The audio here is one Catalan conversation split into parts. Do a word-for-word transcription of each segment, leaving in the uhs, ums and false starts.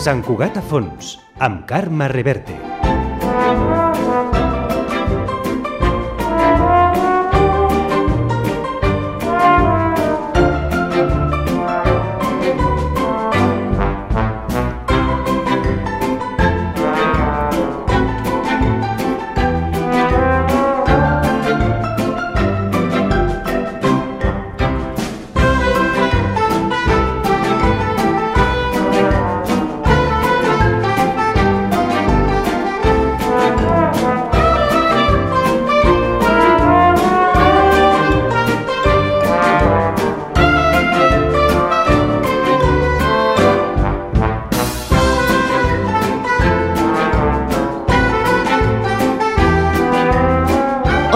Sant Cugat a fons, amb Carme Reverte.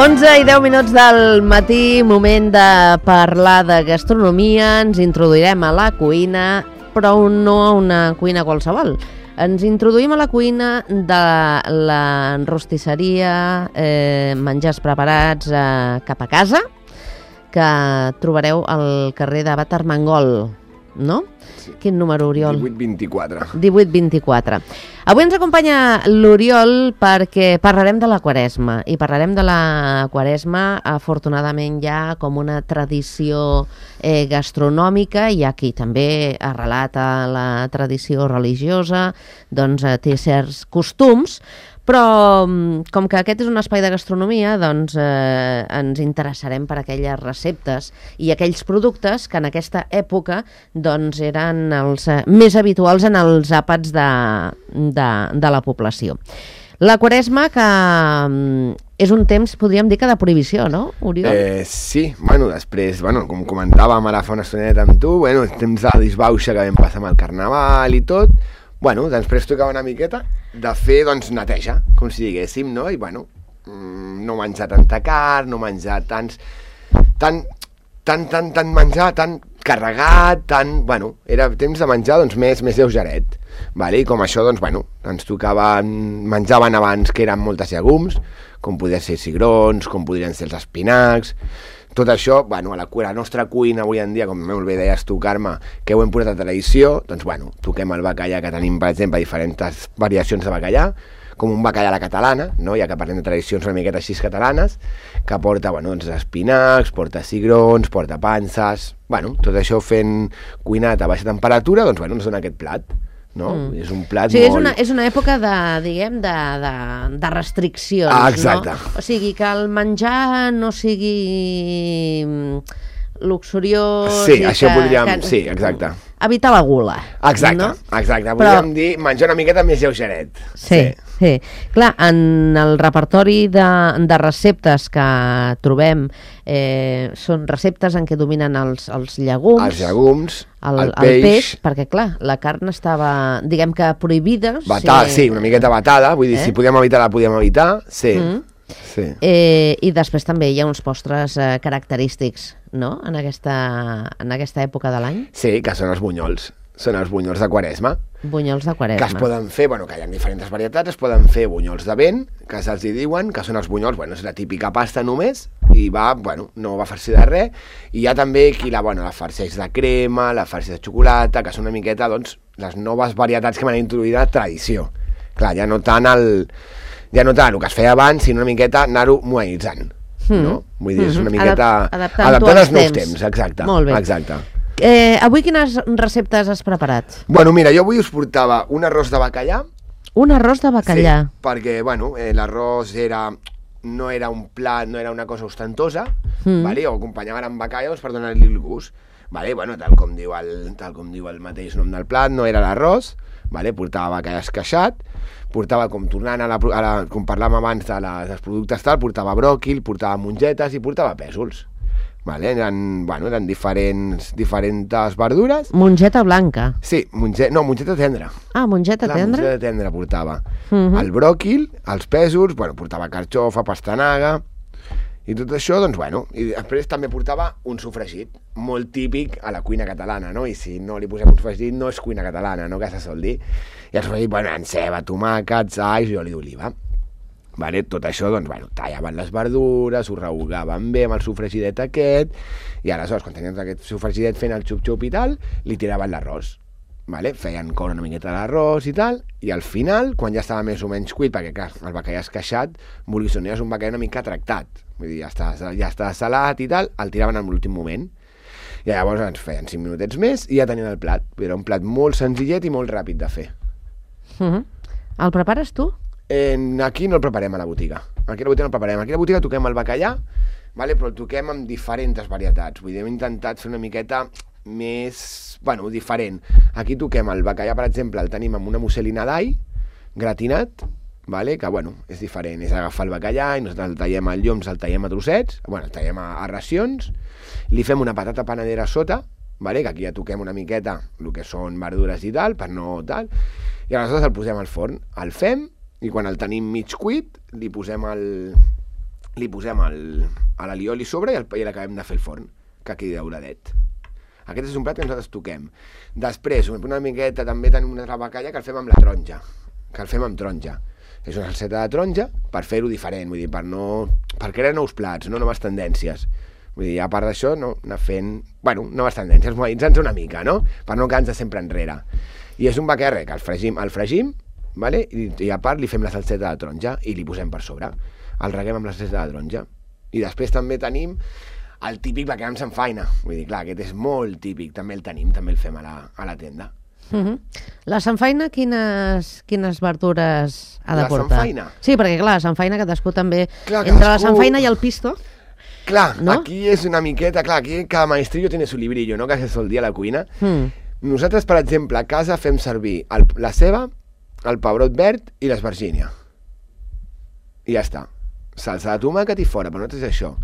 onze i deu minuts del matí, moment de parlar de gastronomia. Ens introduirem a la cuina, però no a una cuina qualsevol. Ens introduïm a la cuina de la rostisseria, eh, menjars preparats eh, cap a casa, que trobareu al carrer de Bat Armengol, no? Sí. Quin número, Oriol? divuit vint-i-quatre. divuit vint-i-quatre. Avui ens acompanya l'Oriol perquè parlarem de la Quaresma, i parlarem de la Quaresma afortunadament ja com una tradició eh, gastronòmica, i aquí també arrelat a la tradició religiosa, doncs eh, té certs costums, però com que aquest és un espai de gastronomia, doncs eh, ens interessarem per aquelles receptes i aquells productes que en aquesta època doncs, eren els eh, més habituals en els àpats de, de, de la població. La Quaresma, que mm, és un temps, podríem dir que de prohibició, no, Oriol? Eh, sí, bueno, després, bueno, com comentàvem ara fa una estoneta amb tu, bueno, temps de disbauxa que vam passar amb el Carnaval i tot, bueno, després tocava una miqueta de fer, doncs, neteja, com si diguéssim, no? I, bueno, no menjar tanta carn, no menjar tants... Tant, tant, tant, tant menjar, tan carregat, tan... Bueno, era temps de menjar, doncs, més, més lleugeret, vale? I com això, doncs, bueno, ens tocava... Menjaven abans que eren moltes llegums, com podien ser cigrons, com podrien ser els espinacs... Tot això, bueno, a la, a la nostra cuina avui en dia, com molt bé deies tu, Carme, que ho hem portat a tradició, doncs, bueno, toquem el bacallà, que tenim, per exemple, diferents variacions de bacallà, com un bacallà a la catalana, no? Ja que parlem de tradicions una miqueta així catalanes, que porta, bueno, doncs, espinacs, porta cigrons, porta panses... Bueno, tot això fent cuinat a baixa temperatura, doncs, bueno, ens dona aquest plat. No? Mm. És un plat sí, molt... és una, és una època de, diguem, de, de, de restriccions, ah, exacte. No? O sigui, que el menjar no sigui luxuriós... Sí, això que, podríem... Que, sí, exacte. Evitar la gula. Exacte, no? exacte. Podríem Però... dir menjar una miqueta més lleugeret. Sí, sí, sí. Clar, en el repertori de, de receptes que trobem eh, són receptes en què dominen els, els llegums, els llegums, el, el, el peix... peix, perquè clar, la carn estava, diguem que prohibida. Batada, sí, sí, una miqueta batada, vull dir, eh? Si podíem evitar, la podíem evitar, sí. Mm. sí. Eh, I després també hi ha uns postres eh, característics, no?, en aquesta, en aquesta època de l'any. Sí, que són els bunyols, són els bunyols de Quaresma. Bunyols de Quaresma. Que es poden fer, bueno, que hi ha diferents varietats, es poden fer bunyols de vent, que se'ls hi diuen, que són els bunyols, bueno, és la típica pasta només, i va, bueno, no va farcir de res, i hi ha també qui la, bueno, la farceix de crema, la farceix de xocolata, que són una miqueta, doncs, les noves varietats que m'han introduït a la tradició. Clar, ja no tant el... ja no tant el que es feia abans, sinó una miqueta anar-ho modernitzant, mm. no? Vull dir, és una miqueta... Adap adaptant als nous temps, exacte. Molt bé. Exacte. Eh, avui quines receptes has preparat? Bueno, mira, jo avui us portava un arròs de bacallà. Un arròs de bacallà? Sí, perquè, bueno, eh, l'arròs era... no era un plat, no era una cosa ostentosa, mm. vale? O acompanyaven amb bacallà doncs, per donar-li el gust. Vale? Bueno, tal com diu el, tal com diu el mateix nom del plat, no era l'arròs, vale? Portava bacallà esqueixat, portava, com tornant a la, a la, com parlàvem abans de la, dels productes tal, portava bròquil, portava mongetes i portava pèsols. Vale? Eren, bueno, eren diferents, diferents verdures. Mongeta blanca. Sí, monge, no, mongeta tendra. Ah, mongeta la tendra? La mongeta tendra portava. Uh-huh. El bròquil, els pèsols, bueno, portava carxofa, pastanaga, i tot això, doncs, bueno, i després també portava un sofregit, molt típic a la cuina catalana, no? I si no li posem un sofregit, no és cuina catalana, no?, que se sol dir. I el sofregit, bueno, en ceba, tomàquets, alls i oli d'oliva. Vale, tot això, doncs, bueno, tallaven les verdures, ho rehogaven bé amb el sofregidet aquest, i aleshores, quan tenien aquest sofregidet fent el xup-xup i tal, li tiraven l'arròs. vale? Feien coure una miqueta l'arròs i tal, i al final, quan ja estava més o menys cuit, perquè clar, el bacallà esqueixat, vulguis o no, és un bacallà una mica tractat, vull dir, ja està, ja està salat i tal, el tiraven en l'últim moment, i llavors ens feien cinc minutets més i ja tenien el plat. Era un plat molt senzillet i molt ràpid de fer. Uh-huh. El prepares tu? Eh, aquí no el preparem a la botiga. Aquí a la botiga no el preparem. Aquí a la botiga toquem el bacallà, vale? Però el toquem amb diferents varietats. Vull dir, hem intentat fer una miqueta més, bueno, diferent. Aquí toquem el bacallà, per exemple, el tenim amb una musselina d'all, gratinat, vale? Que, bueno, és diferent. És agafar el bacallà i nosaltres el tallem al lloms, el tallem a trossets, bueno, el tallem a, a racions, li fem una patata panadera a sota, vale? Que aquí ja toquem una miqueta el que són verdures i tal, per no tal, i aleshores el posem al forn, el fem, i quan el tenim mig cuit, li posem el li posem el, a l'alioli sobre i, el, i l'acabem de fer el forn, que quedi dauradet. Aquest és un plat que nosaltres toquem. Després, una miqueta, també tenim una altra bacalla que el fem amb la taronja, que el fem amb taronja. És una salseta de taronja per fer-ho diferent, vull dir, per no... per crear nous plats, no noves tendències. Vull dir, a part d'això, no, anar fent... bueno, noves tendències, mobilitzant-se una mica, no? Per no quedar-nos sempre enrere. I és un bacallà que el fregim, el fregim, vale? I, i a part li fem la salseta de taronja i li posem per sobre. El reguem amb la salseta de taronja. I després també tenim el típic bacallà amb samfaina. Vull dir, clar, aquest és molt típic, també el tenim, també el fem a la, a la tenda. Uh-huh. La samfaina, quines, quines verdures ha de la portar? La samfaina? Sí, perquè clar, la samfaina cadascú també... Clar, entre cadascú... la samfaina i el pisto... Clar, no? Aquí és una miqueta... Clar, aquí cada maestrillo tiene su librillo, no? Que se sol dir a la cuina. Mm. Nosaltres, per exemple, a casa fem servir el, la ceba, el pebrot verd i l'esvergínia. I ja està. Salsa de tomàquet i fora, però nosaltres és això.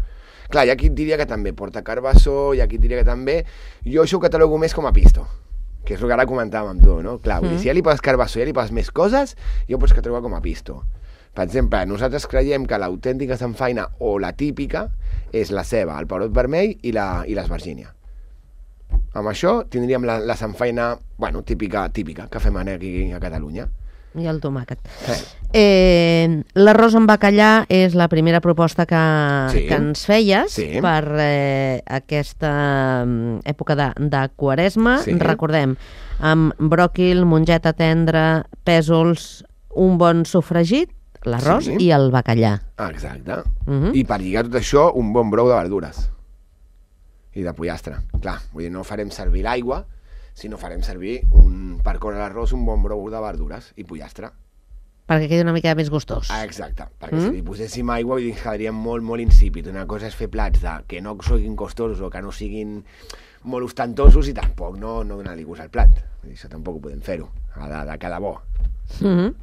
Clar, hi ha qui et diria que també porta carbassó, hi ha qui et diria que també... Jo això ho catalogo més com a pisto, que és el que ara comentàvem amb tu, no? Clar, vull dir, si ja li poses carbassó, ja li poses més coses, jo ho pots catalogar com a pisto. Per exemple, nosaltres creiem que l'autèntica samfaina o la típica és la ceba, el pebrot vermell i l'esvergínia. Amb això tindríem la, la samfaina, bueno, típica, típica, que fem aquí a Catalunya. I el tomàquet. Eh. Eh, L'arròs amb bacallà és la primera proposta que, sí. que ens feies sí. per eh, aquesta època de, de Quaresma. Sí. Recordem, amb bròquil, mongeta tendra, pèsols, un bon sofregit, l'arròs sí. i el bacallà. Ah, exacte. Uh-huh. I per lligar tot això, un bon brou de verdures. I de pollastre. Clar, vull dir, no farem servir l'aigua, sinó farem servir un, per coure l'arròs un bon brou de verdures i pollastre. Perquè quedi una mica més gustós. Ah, exacte, perquè mm? si li poséssim aigua vull dir que quedaria molt, molt insípid. Una cosa és fer plats de, que no siguin costosos o que no siguin molt ostentosos i tampoc no, no donar-li gust al plat. Vull dir, això tampoc ho podem fer-ho, ha de, de quedar bo. Mm-hmm.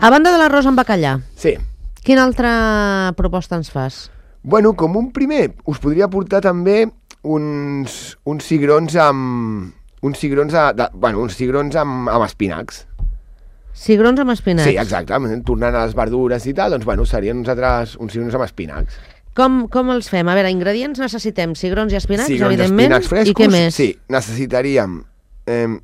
A banda de l'arròs amb bacallà, sí. Quina altra proposta ens fas? Bueno, com un primer, us podria portar també uns, uns cigrons amb... uns cigrons, a, de, bueno, uns cigrons amb, amb espinacs. Cigrons amb espinacs? Sí, exacte. Tornant a les verdures i tal, doncs bueno, serien uns altres uns cigrons amb espinacs. Com, com els fem? A veure, ingredients necessitem cigrons i espinacs, cigrons evidentment, espinacs frescos, i què més? Sí, necessitaríem... Eh,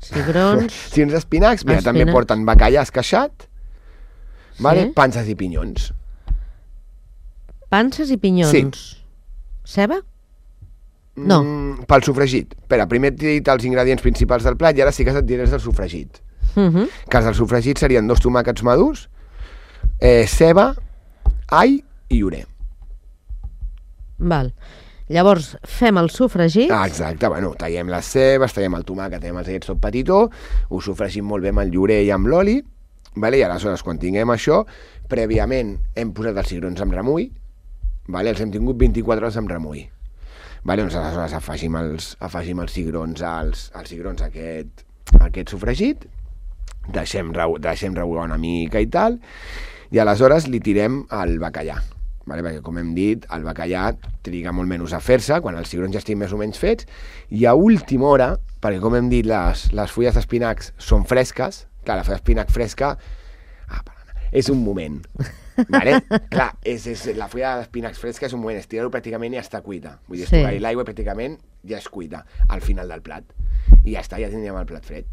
cigrons... cigrons espinacs, mira, espinacs. També porten bacallà esqueixat, sí. vale? Panses i pinyons. Panses i pinyons. Sí. Ceba? No. Mm, pel sofregit. Espera, primer t'he dit els ingredients principals del plat i ara sí que et diré els del sofregit. Uh-huh. Que els del sofregit serien dos tomàquets madurs, eh, ceba, all i oré. Val. Llavors, fem el sofregit. Ah, exacte, bueno, tallem les cebes, tallem el tomàquet, tallem els allets tot petitó, ho sofregim molt bé amb el llorer i amb l'oli, vale? I aleshores, quan tinguem això, prèviament hem posat els cigrons amb remull, vale? Els hem tingut vint-i-quatre hores amb remull. Vale? Doncs aleshores afegim els, afegim els cigrons, als, als cigrons aquest, aquest sofregit, deixem, deixem rebugar una mica i tal, i aleshores li tirem el bacallà. Vale, perquè com hem dit, el bacallà triga molt menys a fer-se quan els cigrons ja estiguin més o menys fets, i a última hora, perquè com hem dit les, les fulles d'espinacs són fresques, clar, la fulla d'espinac fresca ah, és un moment, vale? Clar, és, és, la fulla d'espinacs fresca és un moment, estirar-ho pràcticament i ja està cuita, vull dir, sí. estocar-hi l'aigua pràcticament ja és cuita al final del plat, i ja està, ja tindríem el plat fred.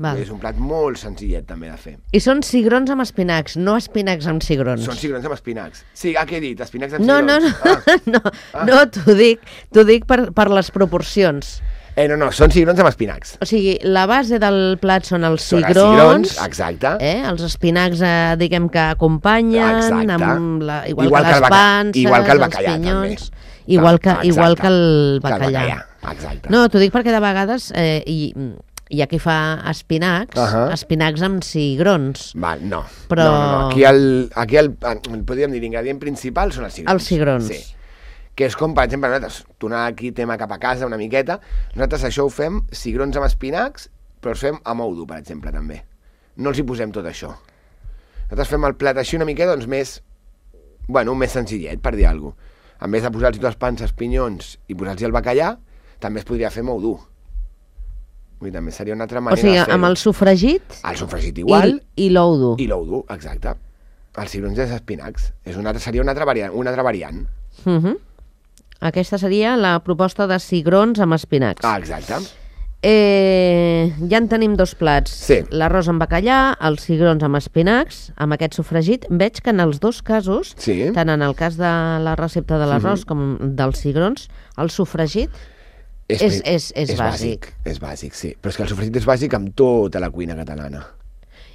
Val. És un plat molt senzillet també de fer. I són cigrons amb espinacs, no espinacs amb cigrons. Són cigrons amb espinacs. Sí, ah, què he dit? Espinacs amb no, cigrons. No, no, ah. no, ah. no t'ho dic, t'ho dic per, per les proporcions. Eh, no, no, són cigrons amb espinacs. O sigui, la base del plat són els Són els cigrons, cigrons, exacte. eh? Els espinacs, eh, diguem que acompanyen, Exacte. amb la, igual, Igual que que el les baca- panses, igual que el els bacallà, pinyons, també. igual que, Exacte. igual que el Que el bacallà. bacallà, exacte. No, t'ho dic perquè de vegades eh, hi, hi ha qui fa espinacs, Ahà. espinacs amb cigrons. Va, no. Però- no, no, no. Aquí, el, aquí el, el, podríem dir, l'ingredient principal són els cigrons. Els cigrons. Sí. Que és com, per exemple, nosaltres, tornant aquí tema cap a casa una miqueta, nosaltres això ho fem cigrons amb espinacs, però els fem amb ou dur, per exemple, també. No els hi posem tot això. Nosaltres fem el plat així una miqueta, doncs, més, bueno, més senzillet, per dir alguna cosa. En vez de posar-los dues panses, pinyons i posar-los el bacallà, també es podria fer amb ou dur. Vull dir, també seria una altra O manera sigui, de fer-ho. amb el sofregit El sofregit igual i, i l'ou dur. i l'ou dur, exacte. Els cigrons i els espinacs. És una, altra- seria una altra variant. Una altra variant. Uh -huh. Aquesta seria la proposta de cigrons amb espinacs. Ah, exacte. Eh, ja en tenim dos plats. Sí. L'arròs amb bacallà, els cigrons amb espinacs, amb aquest sofregit. Veig que en els dos casos, Sí. tant en el cas de la recepta de l'arròs com dels cigrons, el sofregit És- és- és és bàsic. És bàsic, sí. Però és que el sofregit és bàsic amb tota la cuina catalana.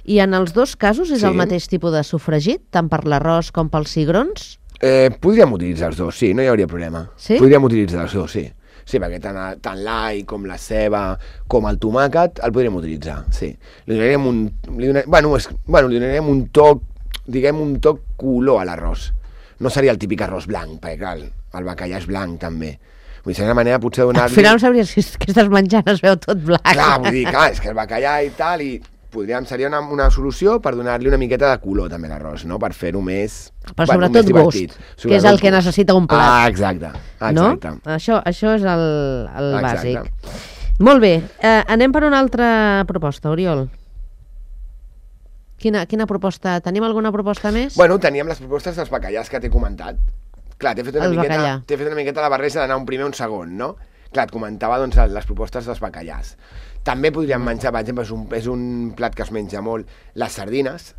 i en els dos casos és Sí. el mateix tipus de sofregit, tant per l'arròs com pels cigrons? Eh, podríem utilitzar els dos, sí, no hi hauria problema. Sí? Podríem utilitzar els dos, sí. Sí, perquè tant, tant l'all com la ceba com el tomàquet el podríem utilitzar, sí. Li donaríem un... Li donaríem, bueno, és, bueno, li donaríem un toc, diguem, un toc color a l'arròs. No seria el típic arròs blanc, perquè clar, el bacallà és blanc també. Vull dir, seria una manera potser de Al donar-li... final no sabries si és que estàs menjant, es veu tot blanc. Clar, vull dir, clar, és que el bacallà i tal, i podríem, seria una, una solució per donar-li una miqueta de color també a l'arròs, no? Per fer-ho més... Però bueno, sobretot més gust, divertit. que és el que necessita un plat. Ah, exacte, exacte. No? Això, això és el, el Exacte. bàsic. Molt bé, eh, anem per una altra proposta, Oriol. Quina, quina proposta? Tenim alguna proposta més? Bueno, teníem les propostes dels bacallars que t'he comentat. Clar, t'he fet una El miqueta, bacallà. t'he fet una miqueta la barreja d'anar un primer o un segon, no? Clar, et comentava doncs, les propostes dels bacallars. També podríem menjar, per exemple, és un, és un plat que es menja molt, les sardines,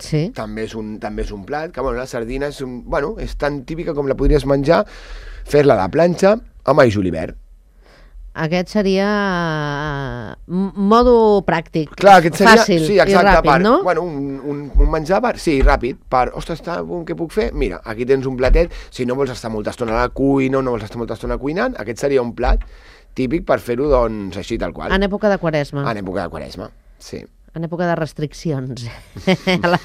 Sí. també és un, també és un plat, que bueno, la sardina és, un, bueno, és tan típica com la podries menjar, fer-la a la planxa amb all julivert. Aquest seria m- modo pràctic, Clar, aquest seria, fàcil sí, i exacte, ràpid, per, no? bueno, un, un, un menjar per, sí, ràpid, per, ostres, està, què puc fer? Mira, aquí tens un platet, si no vols estar molta estona a la cuina, no vols estar molta estona cuinant, aquest seria un plat típic per fer-ho, doncs, així tal qual. En època de Quaresma, En època de Quaresma, sí. en època de restriccions. la...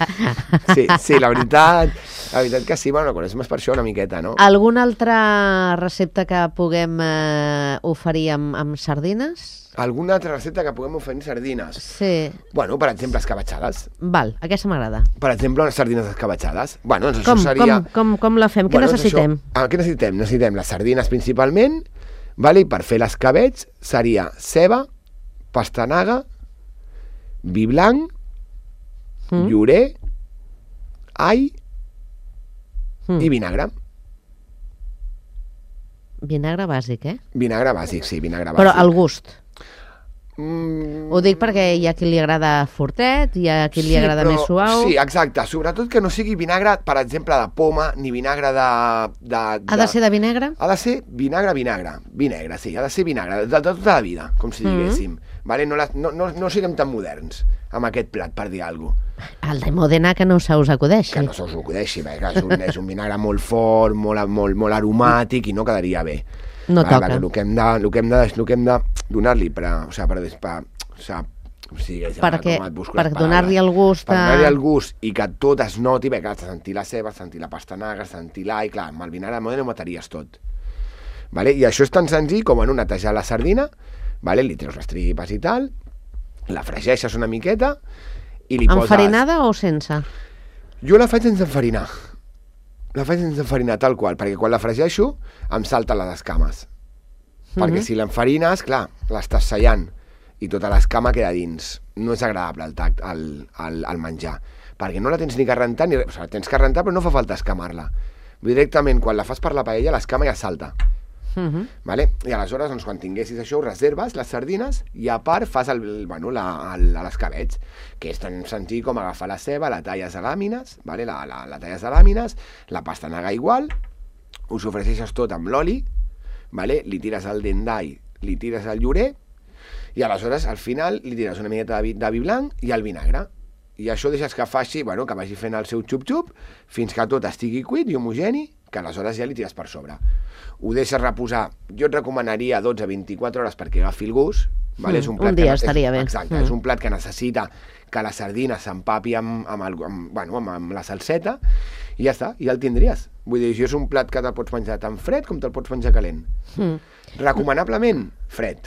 Sí, sí, la veritat, la veritat que sí, bueno, la Quaresma és per això una miqueta, no? Alguna altra recepta que puguem eh, oferir amb, amb sardines? Alguna altra recepta que puguem oferir sardines? Sí. Bueno, per exemple, escabatxades. Val, aquesta m'agrada. Per exemple, unes sardines escabatxades. Bueno, doncs Com, això seria... com, com, com la fem? Què Bueno, doncs necessitem? Això, ah, què necessitem? Necessitem les sardines principalment, vale? I per fer l'escabetx seria ceba, pastanaga, vi blanc, Mm. llorer, all Mm. i vinagre. Vinagre bàsic, eh? Vinagre bàsic, sí, vinagre bàsic. Però al gust. Mm, Ho dic perquè hi ha qui li agrada fortet, hi ha qui li sí, agrada però- més suau. Sí, exacte. Sobretot que no sigui vinagre, per exemple, de poma, ni vinagre de... de, Ha de ser de vi negre? Ha de ser vinagre, vinagre. Vi negre, sí. Ha de ser vinagre, de, de tota la vida, com si Mhm. diguéssim. Vale? No, la, no, no, no siguem tan moderns amb aquest plat, per dir alguna cosa. El de Modena que no se us acudeixi. Que no se us ho acudeixi, perquè és un, és un vinagre molt fort, molt, molt, molt aromàtic i no quedaria bé. No Vale, toca. perquè El que hem de, el que hem de, el que hem de donar-li per, a- o sigui, per, per, o sigui, o sigui, ja Perquè- com et busco per les donar-li paraules. el gust Per a- donar-li el gust i que tot es noti, perquè has de sentir la ceba, has de sentir la pastanaga, has de sentir l'all, clar, amb el vinagre de Modena ho mataries tot. Vale? I això és tan senzill com, bueno, netejar la sardina, vale? Li treus les tripes i tal, la fregeixes una miqueta i li poses... Enfarinada o sense? Jo la faig sense enfarinar. La faig sense enfarinar, tal qual, perquè quan la fregeixo em salten les escames. Perquè Mhm. si l'enfarines, clar, l'estàs sellant i tota l'escama queda dins. No és agradable el tact, el, el, el menjar. Perquè no la tens ni que rentar, ni res. O sigui, la tens que rentar, però no fa falta escamar-la. Directament, quan la fas per la paella, l'escama ja salta. Mhm. Vale? I aleshores, doncs, quan tinguessis això, ho reserves, les sardines, i a part fas el, el, bueno, la, el, l'escabetx, que és tan senzill com agafar la ceba, la talles a làmines, vale? la, la, la talles a làmines, la pastanaga igual, ho sofregeixes tot amb l'oli, vale? Li tires el dent d'all, li tires el llorer i aleshores al final li tires una miqueta de vi, de vi blanc i el vinagre. I això deixes que faci, bueno, que vagi fent el seu xup-xup fins que tot estigui cuit i homogeni, que aleshores ja li tires per sobre. Ho deixes reposar, jo et recomanaria dotze a vint-i-quatre hores perquè agafi el gust. Vale? Mm, És un, plat un dia que, estaria és, bé. Exacte, Mm. és un plat que necessita que la sardina s'empapi amb, amb, el, amb, bueno, amb, amb la salseta i ja està, i ja el tindries. Vull dir, això és un plat que te'l pots menjar tant fred com te'l pots menjar calent. Mm. Recomanablement, fred.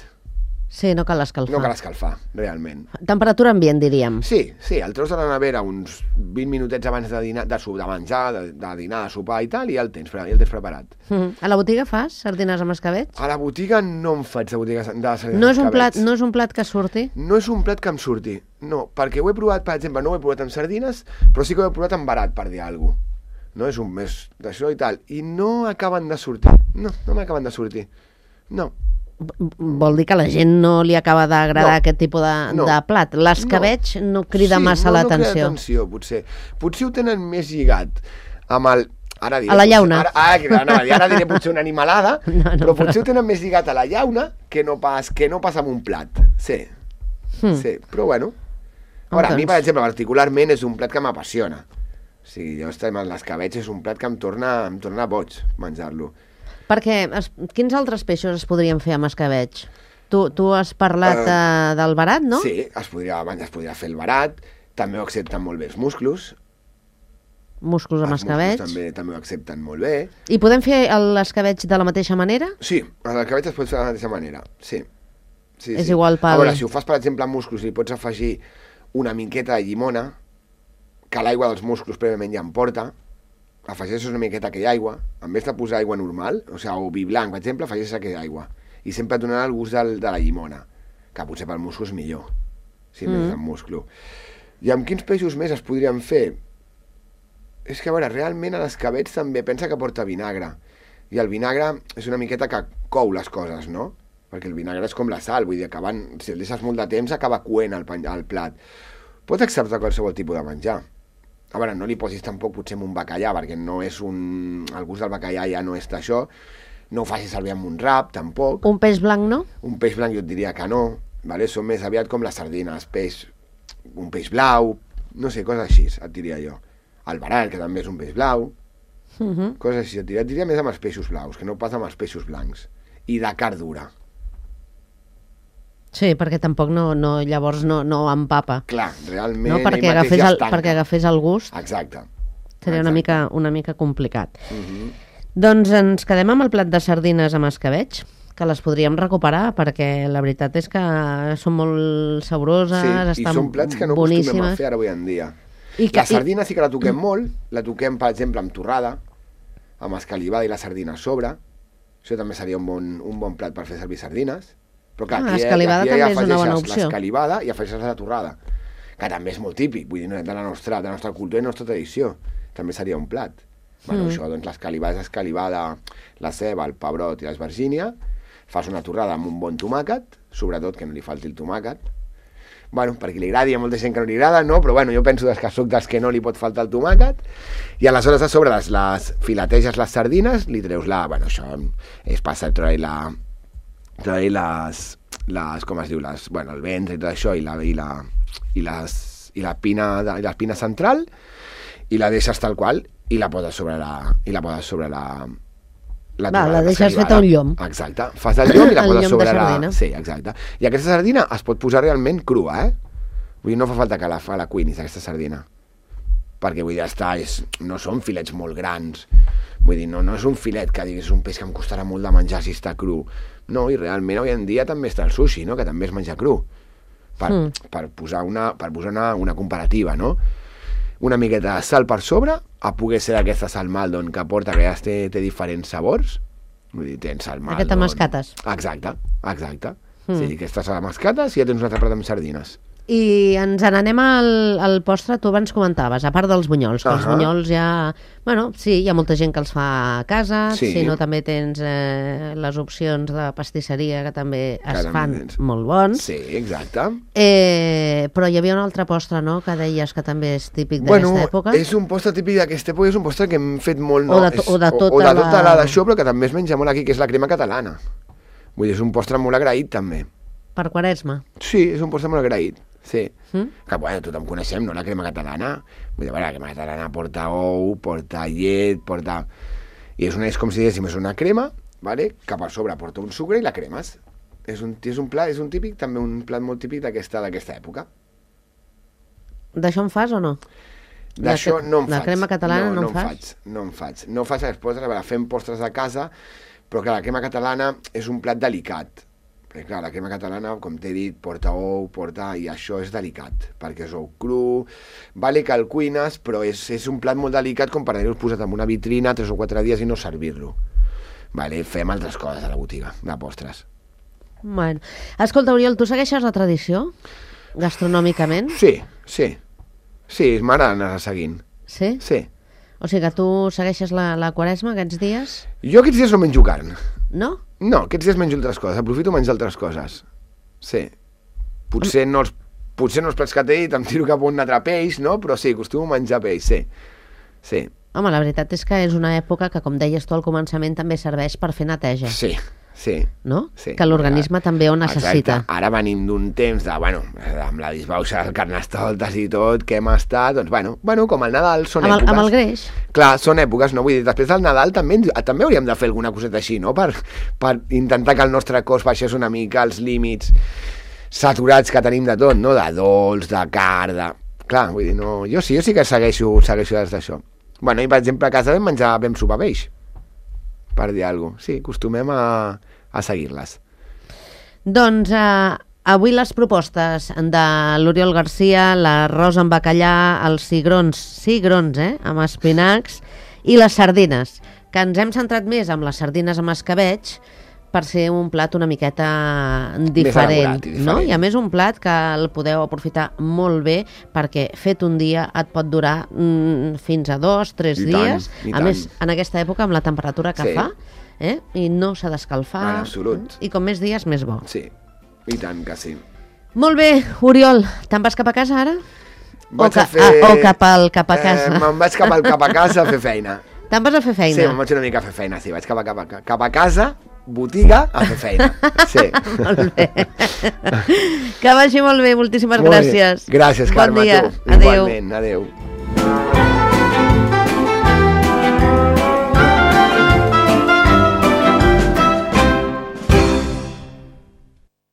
Sí, no cal escalfar. No cal escalfar, realment. Temperatura ambient, diríem. Sí, sí, el treus de la nevera uns vint minutets abans de, dinar, de, de menjar, de, de dinar, de sopar i tal, i ja el tens, ja el tens preparat. Mm. A la botiga fas sardines amb escabetx? A la botiga no em faig de botiga de sardines No és, un escabets. plat, no és un plat que surti? No és un plat que em surti, no, perquè ho he provat, per exemple, no ho he provat amb sardines, però sí que ho he provat amb barat, per dir alguna cosa. No és un més d'això i tal, i no acaben de sortir, no, no m'acaben de sortir, no. Vol dir que a la gent no li acaba d'agradar No. aquest tipus de, No. de plat. L'escabetx no. no crida sí, massa no, l'atenció. No crida atenció, potser. Potser ho tenen més lligat amb el... Ara diré, A la potser- llauna. Ara, ara, ara, ara diré potser una animalada, No, no, però potser però- ho tenen més lligat a la llauna que no pas, que no pas amb un plat. Sí, Hmm. sí, però bueno. Ara, a mi, Doncs. per exemple, particularment és un plat que m'apassiona. O sigui, jo estem amb l'escabetx, és un plat que em torna, em torna boig menjar-lo. Perquè es, quins altres peixos es podrien fer amb escabetx? Tu, tu has parlat Eh, uh, del barat, no? Sí, es podria, es podria fer el barat, també ho accepten molt bé els musclos. Músculs amb Els musclos escabetx. també, també ho accepten molt bé. I podem fer l'escabetx de la mateixa manera? Sí, l'escabetx es pot fer de la mateixa manera, sí. sí És sí. igual pel- A veure, si ho fas, per exemple, amb musclos, li pots afegir una miqueta de llimona, que l'aigua dels musclos prèviament ja en porta, afegeixes una miqueta aquella aigua, en vez de posar aigua normal, o sigui, o vi blanc, per exemple, afegeixes aquella aigua. I sempre et donarà el gust del, de la llimona, que potser pel musclo és millor, si mm. més amb musclo. I amb quins peixos més es podrien fer? És que, a veure, realment a l'escabetx també pensa que porta vinagre. I el vinagre és una miqueta que cou les coses, no? Perquè el vinagre és com la sal, vull dir, acabant, si el deixes molt de temps acaba coent el, el plat. Pots acceptar qualsevol tipus de menjar. A veure, no li posis tampoc potser amb un bacallà, perquè no és un... el gust del bacallà ja no és d'això. No ho facis servir amb un rap, tampoc. Un peix blanc, no? Un peix blanc jo et diria que no, vale? Són més aviat com les sardines, peix, un peix blau, no sé, coses així, et diria jo. El barat, que també és un peix blau, Uh -huh. coses així, et diria, et diria més amb els peixos blaus, que no pas amb els peixos blancs. I de carn dura. Sí, perquè tampoc no, no llavors no, no empapa. Clar, realment... No? Perquè, ell mateix agafés ja el, es tanca. perquè agafés el gust Exacte. seria una Exacte. mica, una mica complicat. Uh -huh. Doncs ens quedem amb el plat de sardines amb escabetx, que les podríem recuperar, perquè la veritat és que són molt saboroses, Sí, i estan són plats que no acostumem a boníssimes. fer ara avui en dia. I que- La sardina sí que la toquem molt, la toquem, per exemple, amb torrada, amb escalivada i la sardina a sobre. Això també seria un bon, un bon plat per fer servir sardines. Però clar, Ah, aquí, escalivada aquí també ja és una bona afegeixes opció. l'escalivada i afegeixes la torrada, que també és molt típic, vull dir, de la nostra, de la nostra cultura i la nostra tradició. També seria un plat. Bueno, Mm. això, doncs l'escalivada és escalivada, la ceba, el pebrot i l'esvergínia, fas una torrada amb un bon tomàquet, sobretot que no li falti el tomàquet. Bueno, per qui li agradi, hi ha molta gent que no li agrada, no? Però bueno, jo penso que soc dels que no li pot faltar el tomàquet. I aleshores a sobre les, les fileteges les sardines, li treus la... Bueno, això és passar, treure la... treure les, les... com es diu? Les, bueno, el ventre i tot això, i la, i la, i les, i la pina, de, i l'espina central, i la deixes tal qual, i la poses sobre la... i la poses sobre la... Va, torrada la deixes escalivada. feta un llom. Exacte. Fas el llom i la El poses llom de sobre la... sardina. Sí, exacte. I aquesta sardina es pot posar realment crua, eh? Vull dir, no fa falta que la, la cuinis, aquesta sardina. Perquè, vull dir, ja està, és, no són filets molt grans. Vull dir, no, no és un filet que diguis, és un peix que em costarà molt de menjar si està cru. No, i realment avui en dia també està el sushi, no?, que també es menja cru. Per, Mm. per posar, una, per posar una, una comparativa, no? Una miqueta de sal per sobre, a poder ser aquesta sal maldon que porta, que ja té, té diferents sabors. Vull dir, tens sal maldon... Aquesta mascates. Exacte, exacte. Mm. Mm. Sí, aquestes mascates i ja tens un altre plat amb sardines. I ens n'anem al, al postre, tu abans comentaves, a part dels bunyols, que els Ahà. bunyols ja... Bueno, sí, hi ha molta gent que els fa a casa, Sí. si no també tens eh, les opcions de pastisseria que també es també fan tens. molt bons. Sí, exacte. Eh, però hi havia un altre postre, no?, que deies que també és típic Bueno, d'aquesta època. és un postre típic d'aquesta època, és un postre que hem fet molt... O No? de to- és, o de tota o, o de tota la- la d'això, però que també es menja molt aquí, que és la crema catalana. Vull dir, és un postre molt agraït, també. Per Quaresma? Sí, és un postre molt agraït, sí. Mm? Que, bueno, tothom coneixem, no?, la crema catalana. Vull dir, bueno, la crema catalana porta ou, porta llet, porta... I és, una, és com si diguéssim, és una crema, vale? Que per sobre porta un sucre i la cremes. És un, és un plat, és un típic, també un plat molt típic d'aquesta d'aquesta època. D'això en fas o no? D'això no en la faig. La crema catalana no, no en fas? Faig, no en faig. No faig els postres, a veure, fem postres a casa, però clar, la crema catalana és un plat delicat. Perquè clar, la crema catalana, com t'he dit, porta ou, porta... i això és delicat, perquè és ou cru, vale que el cuines, però és, és un plat molt delicat com per haver-ho posat en una vitrina tres o quatre dies i no servir-lo. Vale, fem altres coses a la botiga, de postres. Bueno. Escolta, Oriol, tu segueixes la tradició? Gastronòmicament? Sí, sí. Sí, m'agrada anar seguint. Sí? Sí. O sigui que tu segueixes la, la Quaresma aquests dies? Jo aquests dies no menjo carn. No? No, aquests dies menjo altres coses, aprofito menjar altres coses. Sí. Potser no els, potser no els plats que t'he dit, em tiro cap a un altre peix, no? Però sí, acostumo a menjar peix, sí. Sí. Home, la veritat és que és una època que, com deies tu al començament, també serveix per fer neteja. Sí, sí. No? Sí. Que l'organisme també ho necessita. Exacte. Ara venim d'un temps de, bueno, amb la disbauxa del Carnestoltes i tot, que hem estat, doncs, bueno, bueno com el Nadal són amb el, èpoques. Amb el greix. Clar, són èpoques, no? Vull dir, després del Nadal també, també hauríem de fer alguna coseta així, no? Per, per intentar que el nostre cos baixés una mica els límits saturats que tenim de tot, no? De dolç, de car, de... Clar, vull dir, no... Jo sí, jo sí que segueixo, segueixo des d'això. Bueno, i per exemple a casa vam menjar, vam sopar peix, per dir alguna cosa. Sí, acostumem a, a seguir-les. Doncs eh, avui les propostes de l'Oriol Garcia, l'arròs amb bacallà, els cigrons, cigrons, eh, amb espinacs, i les sardines, que ens hem centrat més amb les sardines amb escabeig, per ser un plat una miqueta diferent, i diferent, no? I a més un plat que el podeu aprofitar molt bé perquè fet un dia et pot durar mm, fins a dos, tres I dies. tant, i a tant. més, en aquesta època, amb la temperatura que Sí. fa, eh? I no s'ha d'escalfar. En absolut. I com més dies, més bo. Sí, i tant que sí. Molt bé, Oriol, te'n vas cap a casa ara? Vaig o, ca a fer... ah, o cap, al, cap a casa? Eh, me'n vaig cap, al, cap a casa a fer feina. Te'n vas a fer feina? Sí, me'n vaig una mica a fer feina, sí, vaig cap a, cap a, cap a casa, botiga, a fer feina. Sí. Molt bé. Que vagi molt bé, moltíssimes Molt gràcies. Bé. Gràcies, bon Carme, dia. tu. Adéu. Igualment, adéu.